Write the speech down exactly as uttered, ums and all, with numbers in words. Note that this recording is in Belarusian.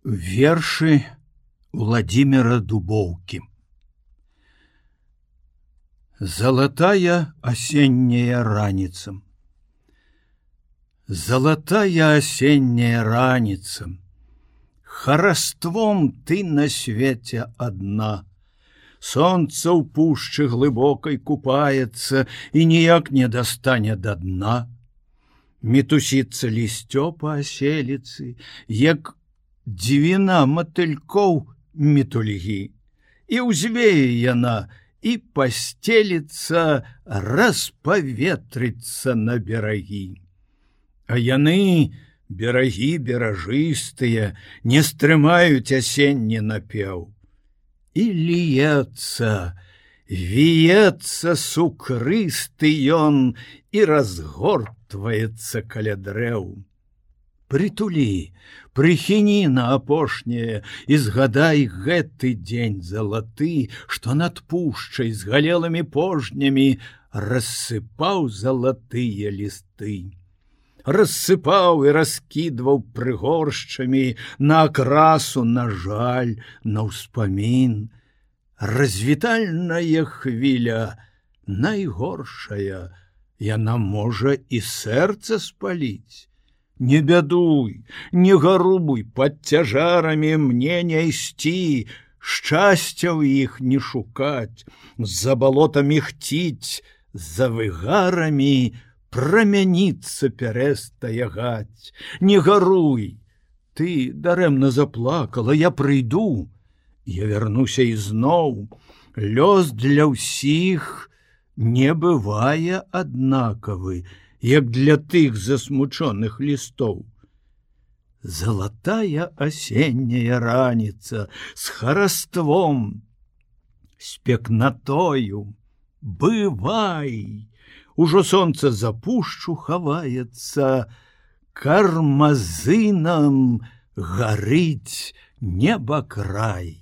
Вершы Владимира Дубоўкі. Золотая осенняя раница. Золотая осенняя раница. Хараством ты на свете одна. Солнце ў пушчы глыбокай купаецца і ніяк не дастане да дна. Мітусіцца лісцё па аселіцы, як дзівіна матылькоў мітульгі, і ўзвее яна, і пасцеліцца, распаветрыцца на берагі. А яны, берагі беражыстыя, не стрымаюць асенні напеў. І ліецца, віецца сукрысты ён і разгортваецца каля дрэў. Притулі, прыхіні на апошняе і згадай гэты дзень залаты, што над пушчай з галелымі пожнямі рассыпаў залатыя лісты. Рассыпаў і раскідваў прыгоршчамі на акрасу, на жаль, на ўспамін. Развітальная хвіля, найгоршая, яна можа і сэрца спаліць. Не бядуй, не гарубуй, пад цяжарамі мне не ісці, шчасця ў іх не шукаць, за балотамі хціць, за выгарамі прамяніцца перастаягаць. Не гаруй, ты дарэмна заплакала, я прыйду, я вярнуся ізноў. Лёс для ўсіх не бывае аднакавы, як для тых засмучоных лістоў. Золотая осенняя раница с хараством, с пекнатою, бывай! Ужо сонца за пушчу хаваецца, кармазынам гарыць небакрай.